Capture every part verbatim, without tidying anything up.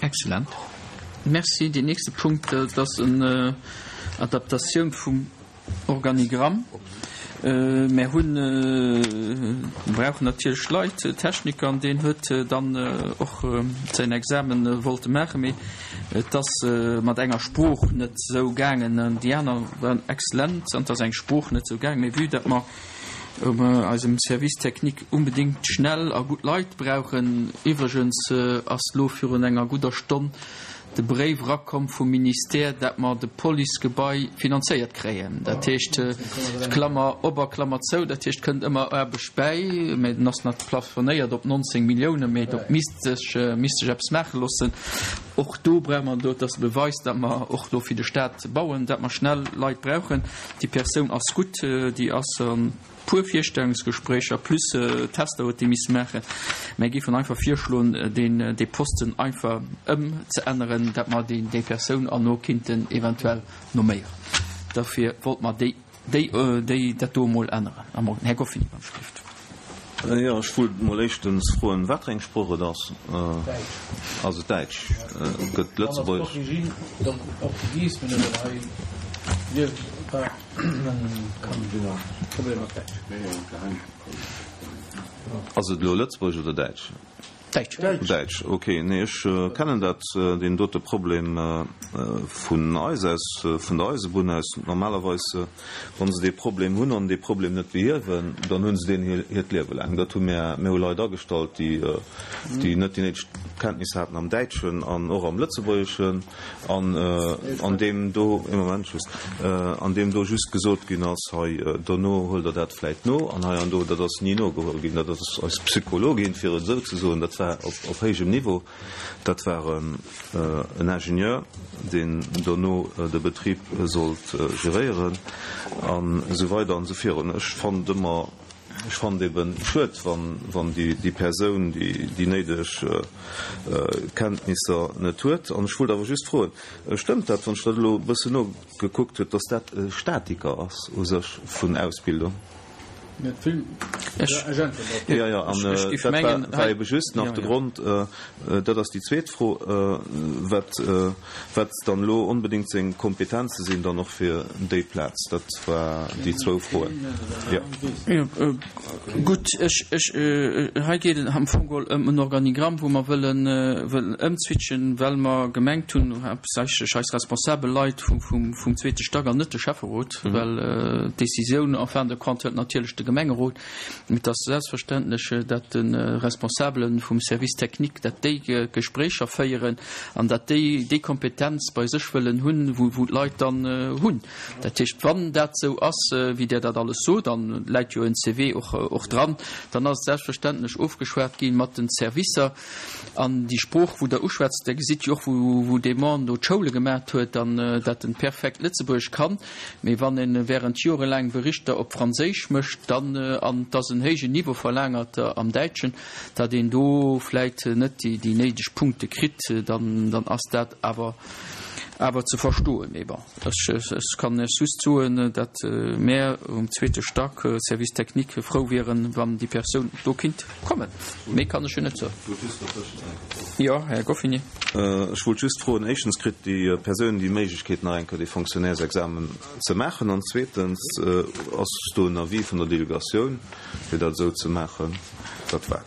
Excellent. Merci. Deen nächste Punkt, dat ass eng Adaptatioun vum Organigramm. Mär hunn, brauchen natierlech Leit, Techniker, an deen huet dann och säin Examen wollte maachen, mee et ass mat enger Sprooch net esou gaangen. Déi aner waren exzellent an et ass eng Sprooch net esou gaangen. Mee vue dat mer um eisem Service technique unbedéngt schnell a gutt Leit brauchen, iwwregens ass lo virun enger gudder Stonn de Bréif erakomm vum Ministère, dat mer de Policegebai finanzéiert kréien. Dat heescht, Klammer op a Klammer zou, dat heescht, kënnt ëmmer Aarbecht bäi, mä den ass nach plafonéiert op nonzéng Milliounen, mä do misst sech, misst sech eppes maache loossen. Och do brauche mer do, dat ass e Beweis, dat mer och do fir de Stat bauen, dat mer schnell Leit brauchen. Déi Persoun ass gutt, déi ass an puer Virstellungsgespréicher plus Tester huet déi misse maachen. Mär géifen einfach virschloen, deen, dee Posten einfach ëmzeänneren, dat mer déi, déi Persoun erno kinnten eventuell nomméieren. Derfir wollt mer déi, déi, déi, dat do emol änneren. Am Ordre. Här Goffin, iwwer d'Schrift. Jo, ech wollt mol éischtens froen, wat fir eng Sprooch et ass. Ass et Däitsch? Gëtt Lëtzebuergesch? Ass et elo Lëtzebuergesch oder Däitsch? Däitsch. Däitsch, ok. Nee, ech kennen dat, deen dote Problem vun eis aus, vun der Eisebunn aus. Normalerweis, wa se dee Problem hunn an dee Problem net behiewen, dann hu se deen hiert Liewe laang. Dat hu mir, mir hu Leit agestallt, déi, déi net déi néideg Kenntnisser haten am Däitschen an och am Lëtzebuergeschen. An an deem do, ee Moment just, an deem do just gesot ginn ass, hei, dono huelt Der dat vläicht no an hei an do, dat ass ni nogeholl ginn. Dat ass eis Psychologin, fir et esou ze soen, dat war op, op héijem Niveau, dat war en Ingenieur, deen dono de Betrib sollt geréieren an esou weider an esou virun. Ech fand ëmmer, Ech fannen et eben schued, wann déi Persoun déi néideg Kenntnisser net huet. An ech wollt awer just froen, Stëmmt dat, wann ech dat elo e bëssen nogekuckt huet, datt dat e Statiker ass u sech vun Ausbildung? Jo, jo, an dat war ebe just nach de Grond. Dat ass déi zweet Fro, wat wat dann elo onbedéngt seng Kompetenze sinn dann och fir déi Plaz. Dat war déi zwou Froen, jo. Gutt, ech, ech, hei geet et am Fong geholl ëm en Organigramm, wou mer wëllen, wëllen ëmzwitchen, well mer gemengt hunn, haaptsächlech eis responsabel Leit vum, vum, vum zweete Stack an net de Schäfferot, well d'Décisioun en fin de compte huet natierlech de Gemengerot. Et ass selbstverständlech, datt de Responsabele vum Service technique, datt déi Gespréicher féieren an datt déi déi Kompetenz bei sech wëllen hunn, wou d'Leit dann hunn. Dat heescht, wann dat esou ass, wéi Der dat alles sot, an et läit jo en C V och dran, dann ass et selbstverständlech ofgeschwat gi mat den Servicer. An déi Sprooch, wou Der uschwätzt, Der gesitt jo och, wou dee Mann do d'Schoule gemaacht huet an datt en perfekt Lëtzebuergesch kann. Mee wann e während jorelaang Berichter op Franséisch mécht, dann, an et ass en héijen Niveau verlaangert am Däitschen, datt een do vläit net déi néideg Punkte kritt, dann, dann ass dat awer, awer ze verstoen. Mee bon, ech, ech kann lech just soen, datt mär um zweete Stack, Service technique, frou wieren, wann déi Persoun do kinnt kommen. Méi kann ech jo net soen. Jo, Här Goffinet. Ech wollt just froen, éischtens, kritt déi Persoun déi Méiglechkeet, nach eng Kéier dee Fonctionnairesexamen ze maachen? An zweetens, ass do en Avis vun der Delegatioun, fir dat esou ze maachen? Dat war.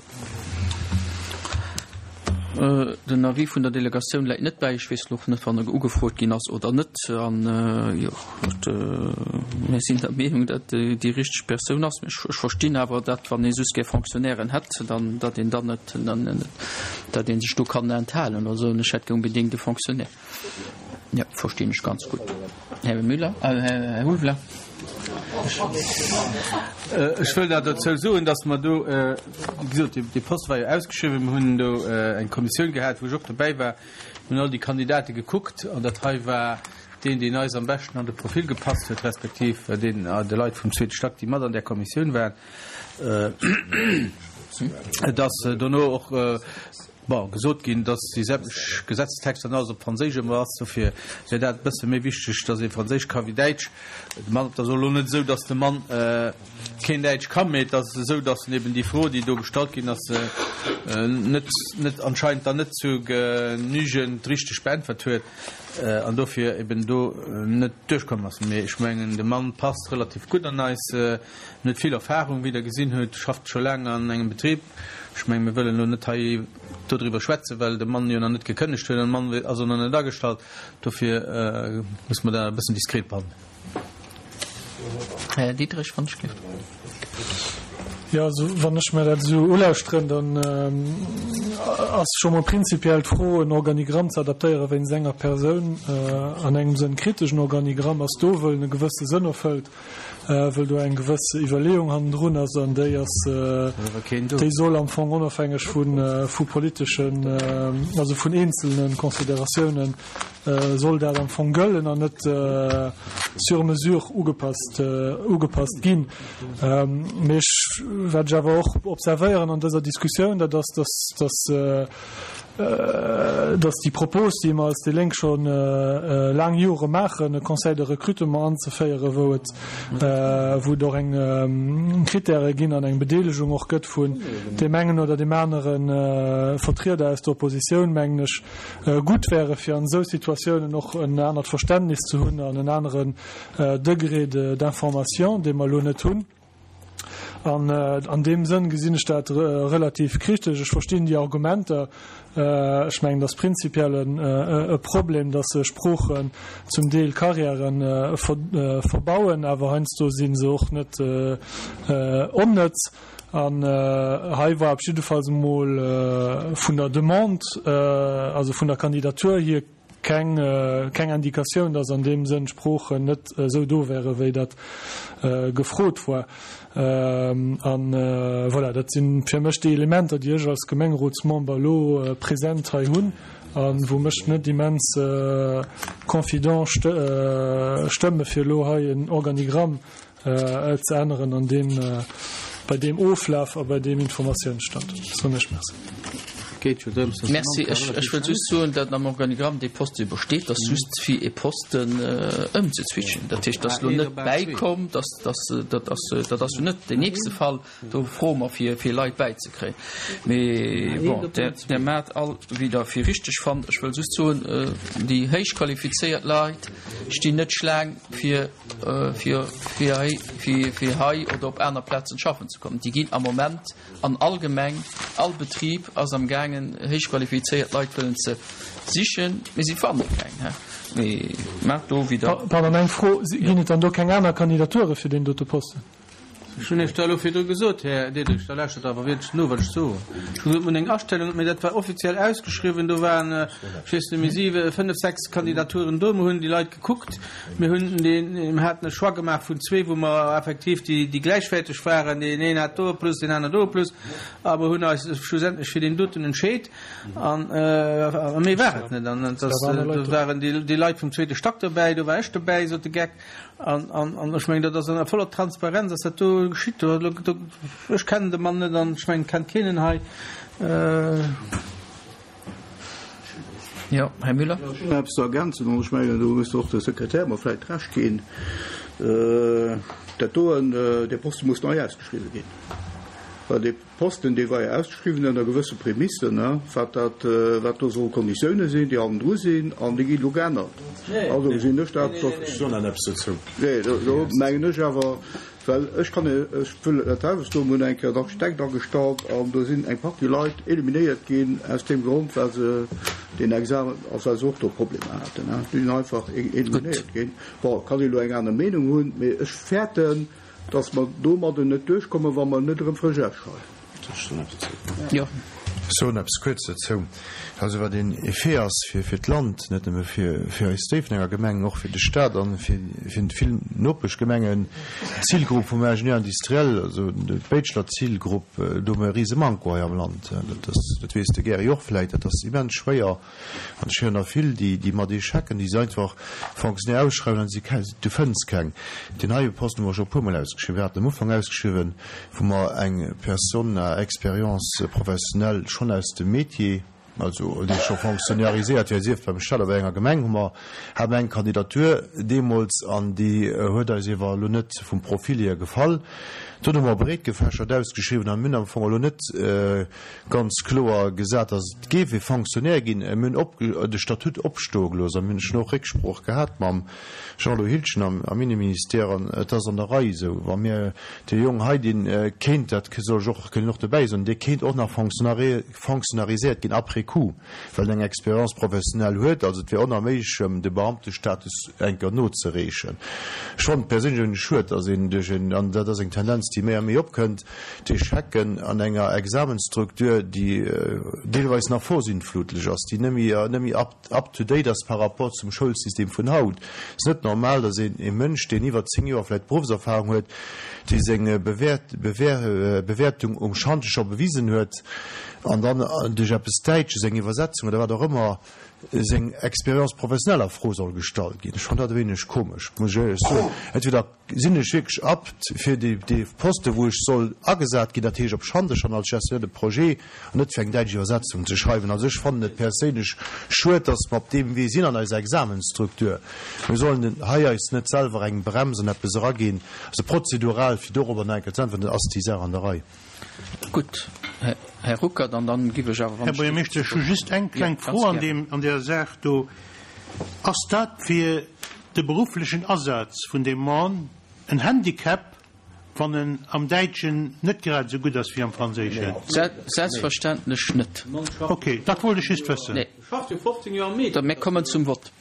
Den Avis vun der Delegatioun läit net bäi. Ech weess elo och net, wann e ugefrot ginn ass oder net. An, jo, mir sinn der Meenung, datt déi richteg Persoun ass. Ech verstinn awer, datt, wann ee soss gär Fonctionnairen hätt, dann, datt een dann net, datt ee sech do kann enthalen oder soen, ech hätt gär unbedéngt e Fonctionnaire. Jo, verstinn ech ganz gutt. Här Müller, Här Ulveler. Ech wëll nach dozou soen, dass mer do, wéi gesot, dee Poste war jo ausgeschriwwen, mir hunn do eng Kommissioun gehat, wou ech och dobäi war, mir hunn all déi Kandidate gekuckt an dat hei war deen, deen eis am beschten an de Profil gepasst huet, respektiv deen de Leit vum zweete Stack, déi mat an där Kommissioun waren. Et ass dono och Bon, gesot ginn, dass déi sämtlech Gesetzestexter an alles op Franséisch ëmmer ass, dofir wär dat e bësse méi wichteg, dass ee Franséisch ka wéi Däitsch. De Mann, et ass elo net esou, dass de Mann keen Däitsch kann, mee et ass esou, dass en eben déi Fro, déi do gestallt ginn ass, net, net anscheinend dann net zu genügend richteg beäntwert huet an dofir eben do net duerchkomm ass. Mee ech mengen, de Mann passt relativ gutt an eis, en huet vill Erfahrung, wéi Der gesinn hutt, schafft scho laang an engem Betrib. Ech mengen, mir wëllen elo net hei dodriwwer schwätzen, well de Mann jo nach net gekënnegt huet an de Mann ass och nach net agestallt. Dofir musse mer dat e bëssen diskret behandelen. Här Diderich, wann ech gleef. Jo, also wann ech mer dat esou ulauschteren, dann ass scho mol prinzipiell d'Fro, en Organigramm ze adaptéiere wéinst enger Persoun, an engem Sënn kritesch. En Organigramm ass do, wëll en e gewësse Sënn erfëllt. Wëll do eng gewëss Iwwerleeung hannendrun ass an déi ass, déi soll am Fong onofhängeg vu vu politeschen, also vun eenzelne Consideratiounen soll dat am Fong gëllen an net sur mesure ugepasst ugepasst ginn. Mee ech, wat ech awer och observéieren an dëser Diskussioun, dat ass, dass dass dass déi Propos, déi mer als déi Lénk scho laang Jore maachen, e Conseil de recrutement anzeféieren, wou et, wou et och eng Kritäre ginn an eng Bedeelegung och gëtt vun deem engen oder deem anere Vertrieder aus der Oppositioun, mengen ech, gutt wäre fir an esou Situatiounen och en anert Verständnis ze hunn an en aneren Degré d'information, dee mer elo net hunn. An an deem Sënn gesinn ech dat relativ kritesch. Ech verstinn déi Argumenter. Ech mengen, et ass prinzipiell e Problem, dass Sproochen zum Deel Karriäre verbauen, awer heiansdo si se och net onnëtz. An hei war op jiddefalls emol vun der Demande, also vun der Kandidatur hier, keng keng Indikatioun, dass an deem Sënn d'Sproochen net esou do wäre wéi dat gefrot war. An voilà, dat si fir mech déi Elementer, déi ech als Gemengerotsmember elo present hei hunn a wou mech net immens confident stëmme fir elo hei en Organigramm ze änneren an deem, bei deem Oflaf a bei deem Informatiounsstand. Soen ech Merci. Merci. Ech wëll just soen, datt am Organigramm dee Poste jo besteet, ass just fir ee Posten ëmzeswitchen. Dat heescht, dat ass elo net bäikomm, dat ass, dat ass jo net deen nächste Fall, do froe mer fir, fir Leit bäizekréien. Mee bon, där, där maacht all, wéi Der fir richteg fannt. Ech wëll just soen, déi héich qualifizéiert Leit stinn net Schlaang fir, fir, fir hei, fir, fir hei oder op aner Plazen schaffen ze kommen. Déi ginn am Moment an all Gemeng, all Betrib ass am gaangen héich qualifizéiert Leit wëllen ze sichen, mee si fanne keng. Mee maacht do wéi Der. Pardon, eng Fro, Ginn et dann do keng aner Kandidature fir deen dote Posten? Ech hunn Iech dat elo virdru gesot, Här Diderich, da lauschtert awer wierklech no, wat ech soen. Ech hunn gesot, mir hunn eng Astellung, mee dat war offiziell ausgeschriwwen, do waren, ech weess net méi, siwe, fënnef, sechs Kandidaturen do. Mir hunn déi Leit gekuckt, mir hunn deen, mir haten e Choix gemaach vun zwee, wou mer effektiv déi, déi gläichwäerteg waren, deen een hat do e Plus, deen aner do e Plus, a mer hunn eis schlussendlech fir deen doten entscheet. An, a méi war et net. An et ass, do waren déi, déi Leit vum zweete Stack dobäi, do war ech dobäi, sot de Geck. An, an, an ech mengen, dat ass an voller Transparenz ass dat do geschitt. Do, do, do, ech kennen de Mann net an ech mengen, kennt keen en hei. Äh. Jo, Här Müller. Jo, ech hunn nach eppes ze ergänzen an ech mengen, do muss och de Sekretär mer vläicht Recht ginn. Äh, dat doen, dee Poste muss nei ausgeschriwwen ginn, well dee Posten, dee war jo ausgeschriwwen ënner gewësse Prämissen, wat dat, wat do solle Konditioune sinn, déi hannendru sinn, an déi ginn elo geännert. Also gesinn ech dat. Ech soen dann eppes dozou. Nee, do mengen ech awer, well ech kann, ech wëll dat selwecht soen, mir hunn eng Kéier en Architekt agestallt an do sinn eng Partie Leit eliminéiert ginn aus deem Grond, well se deen Examen, also well se och do Problemer haten. Déi sinn einfach eliminéiert ginn. Bon, kann ee elo eng aner Meenung hunn, mee ech fäerten, Dass mer domadden net duerchkommen, wa mer net erëm frësch ausschreiwen. Jo. Ech soen eppes kuerz dozou. Also wat een Effet ass fir fir d'Land, net nëmme fir fir eis Déifferdenger Gemeng, och fir de Stat an fir fir vill Nopeschgemengen, d'Zilgrupp vum Ingenieur industriel, also d'Bachelor-Zilgrupp, do hu mer e rise Manko hei am Land. Dat ass, dat weess de Gary och vläicht, dat ass immens schwéier. An ech héieren der vill, déi déi mat Echecken, déi se einfach Fonctionnaire ausschreiwen an si du fënns keng. Deen heie Posten hu mer scho e puermol ausgeschriwwen. Mir haten am Ufank ausgeschriwwen, wou mer eng Personne à expérience professionnelle schonn aus dem Métier, also dee scho fonctionnariséiert wier, sief beim Staat oder bei enger Gemeng, hu mer, hate mer eng Kandidatur deemools an déi huet eis iewer elo net vum Profil hier gefall. Dunn hu mer breetgefächert ausgeschriwwen a mir hunn am Fong elo net ganz kloer gesat, datt et géif ee Fonctionnaire ginn. Mir hunn op de Statut opstoe gelooss a mir hunn schon och Récksprooch gehat mam Jean-Lou Hildgen am am Inneministère an et ass an der Rei esou, wa mir dee Jong hei, dee kéint, dat soll ech och, kënnt och dobäi soen, dee kéint och nach fonctionnariséiert ginn après coup, well en eng Expérience professionnelle huet. Also et wier onerméiglech, em de Beamtestatus eng Kéier nozereechen. Ech fannen et perséinlech e weéneg schued, datt een duerch en, an dat ass eng Tendenz, déi méi a méi opkënnt, d'Echecken an enger Examensstruktur, déi deelweis nach vorsintflutlech ass, déi net méi, net méi up, up to date ass par rapport zum Schoulsystem vun haut. Et ass net normal, datt een e Mënsch, deen iwwer zéng Joer vläicht Beruffserfahrung huet, dee seng Bewäert, Bewäer, Bewäertung um Schantje scho bewisen huet, an dann duerch eppes Däitsches, eng Iwwersetzung oder wat och ëmmer, seng Expérience professionnelle a Fro soll gestallt ginn. Ech fannen dat e wéineg komesch, muss ech éierlech soen. Entweder sinn ech wierklech apt fir dee, dee Poste wou ech soll agesat ginn, dat heescht op Schandesch an als Gestionnaire de projet, an net fir eng däitsch Iwwersetzung ze schreiwen. Also ech fannen et perséinlech schued, dass mer op deem Wee sinn an eiser Examensstruktur. Mir sollen hei eis net selwer eng Brems an eppes eraginn, also prozedural, fir dorobber nach eng Kéier ze äntweren, ass déi Saach an der Rei. Gutt, Här Ruckert, an dann giff ech awer, wann Här Buergermeeschter, ech hu just eng kleng Fro an deem, an där Saach do. Ass dat fir de berufflechen Asaz vun deem Mann en Handicap, wann en am Däitschen net grad esou gutt ass wéi am Franséischen? Selbstverständlech net. Okay, dat wollt ech just wëssen. Nee. Mir kommen zum Vott.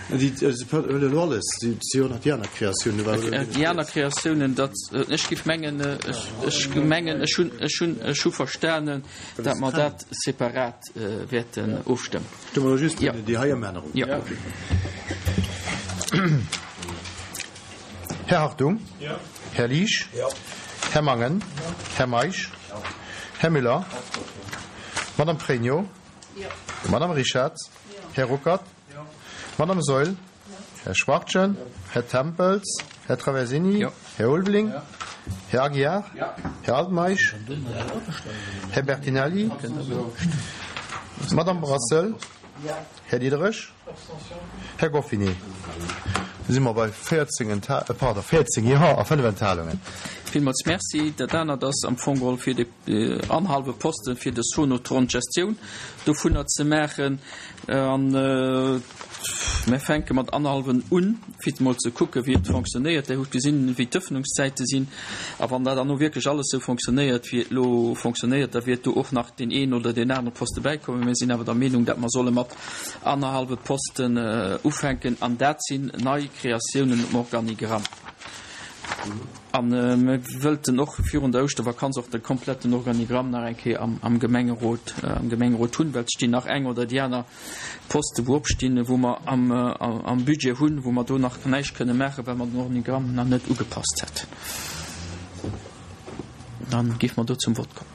Elo alles, si hunn nach déi aner Kreatiounen. Déi aner Kreatiounen, dat, ech géif mengen, ech mengen, ech hunn, ech hunn, ech hu verstanen, datt mer dat separat wäerten ofstëmmen. Stëmme mer just déi hei Ëmännerung. Jo. Här Hartung. Här Liesch. Här Mangen. Här Meisch. Här Müller. Madame Pregno. Madame Richard. Här Ruckert. Madame Saeul. Här Schwachtgen. Här Tempels. Här Traversini. Här Ulveling. Här Aguiar. Här Altmeisch. Här Bertinelli. Madame Brassel. Här Diderich. Här Goffinet. Da si mer bei véierzéng Entha-, pardon, véierzéng Jo a fënnef Enthalungen. Villmools Merci. Dat anert ass am Fong geholl fir de annerhallwe Posten fir de Sonotron d'Gestioun dovunner ze maachen. An mir fänke mat annerhallwen un, fir emol ze kucke wéi et fonctionnéiert. Där hutt gesinn, wéi d'Ëffnungszäite sinn. A wann dat dann och wierklech alles esou fonctionnéiert, wéi et elo fonctionnéiert, da wäert do och nach deen een oder deen anere Poste bäikommen. Mir sinn awer der Meenung, datt mer solle mat annerhallwe Posten ufänken. An dat sinn nei Kreatiounen um Organigramm. A mir wëllten och virun der Ouschtervakanz och de kompletten Organigramm nach eng Kéier am Gemengerot, am Gemengerot hunn, well et stinn nach eng oder déi aner Poste wou opstinn, wou mer am Budget hunn, wou mer do nach näischt kënne maachen, well mer den Organigramm nach net ugepasst hätten. Dann géife mer do zum Vott kommen.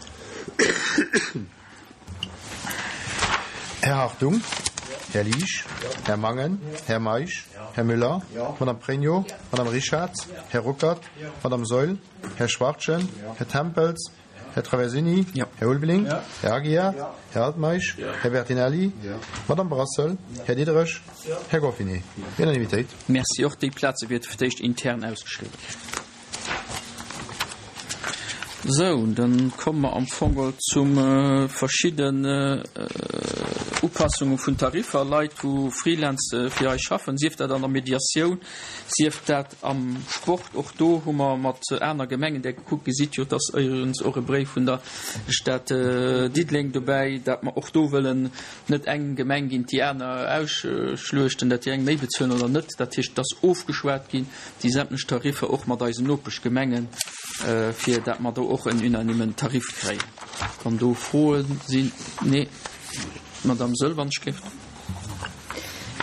Här Hartung. Här Liesch. Här Mangen. Här Meisch. Här Müller. Madame Pregno. Madame Richard. Här Ruckert. Madame Saeul. Här Schwachtgen. Här Tempels. Här Traversini. Här Ulveling. Här Aguiar. Här Altmeisch. Här Bertinelli. Madame Brassel. Här Diderich. Här Goffinet. Unanimitéit. Merci. Och déi Plaze wäerte fir d'éischt intern ausgeschriwwen ginn. Sou, dann komme mer am Fong geholl zum verschidden Upassunge vun Tariffer, Leit wou Freelance fir eis schaffen, sief dat an der Mediatioun, sief dat am Sport. Och do hu mer mat aner Gemengen där gekuckt. Gesitt jo, et ass éiregens och e Bréif vun der Stad Diddeleng dobäi, dat mer och do wëllen net eng Gemeng géint déi aner ausschluechten, dat déi eng méi bezuelen oder net. Dat heescht, et ass ofgeschwat ginn, déi sämtlech Tariffer och mat eisen Nopeschgemengen, fir dat mer do och en unanimen Tarif kréien. Wann do Froe sinn? Nee, d'Madame Saeul, wann ech gleeft.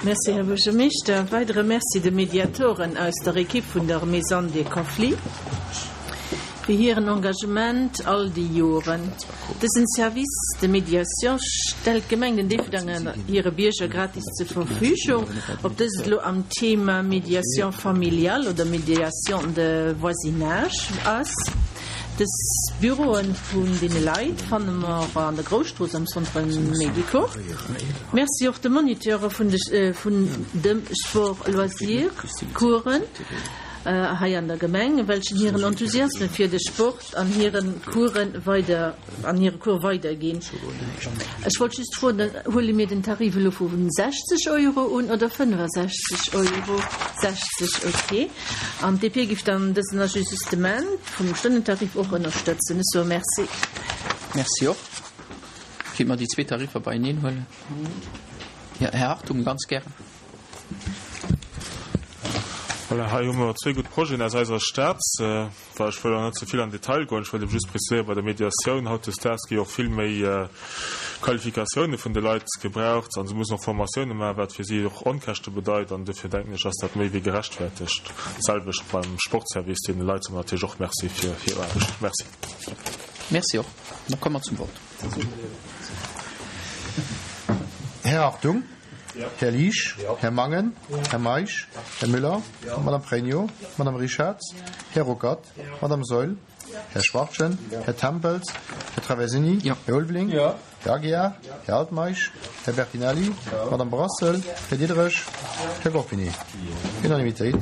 Merci, Här Buergermeeschter. E weidere Merci de Mediatoren aus der Ekipp vun der Maison des Conflits fir hiren Engagement all déi Joren. Dësen Service de médiation stellt d'Gemeng den Déifferdenger hire Bierger gratis zur Verfügung, ob dëst elo am Thema Médiation familiale oder Médiation de voisinage ass. Dës Büroe vun deene Leit fanne mer an der Grousstrooss am Centre Médico. Merci och de Moniteure vun de vun dem Sport Loisir Coursen hei an der Gemeng, welchen hiren Enthusiasme fir de Sport an hiren Coursen weider an hire Cours weiderginn. Ech wollt just froen, huele mir den Tarif elo vu sechzeg Euro un oder fënnefasechzeg Euro? Sechzeg, ok. An d'D P giff dann dësen Ajustement vum Stonnentarif och ënnerstëtzen. Ech soe Merci. Merci och. Kéint mer déi zwee Tariffer beieneen huelen? Jo, Här Hartung, ganz gären. Voilà, hei hu mer zwee gutt Projeten aus eiser Stad. Well ech wëll och net ze vill an Detail goen, ech wëllt ebe just preziséieren, bei der Mediatioun hautdesdaags gi och vill méi Qualifikatioune vun de Leit gebraucht a se mussen och Formatioune maachen, wat fir si och Onkäschte bedeit. An dofir denken ech, ass dat méi wéi gerechtfertegt. D'selwecht beim Sportservice, deene Leit soe mer natierlech och Merci fir hir Aarbecht. Merci. Merci och. Da komme mer zum Vott. Här Hartung. Här Liesch, Här Mangen, Här Meisch, Här Müller, Madame Pregno, Madame Richarz, Här Ruckert, Madame Saeul, Här Schwachtgen, Här Tempels, Här Traversini, Här Ulveling, Här Aguiar, Här Altmeisch, Här Bertinelli, Madame Brassel, Här Diderich, Här Goffinet. Unanimitéit.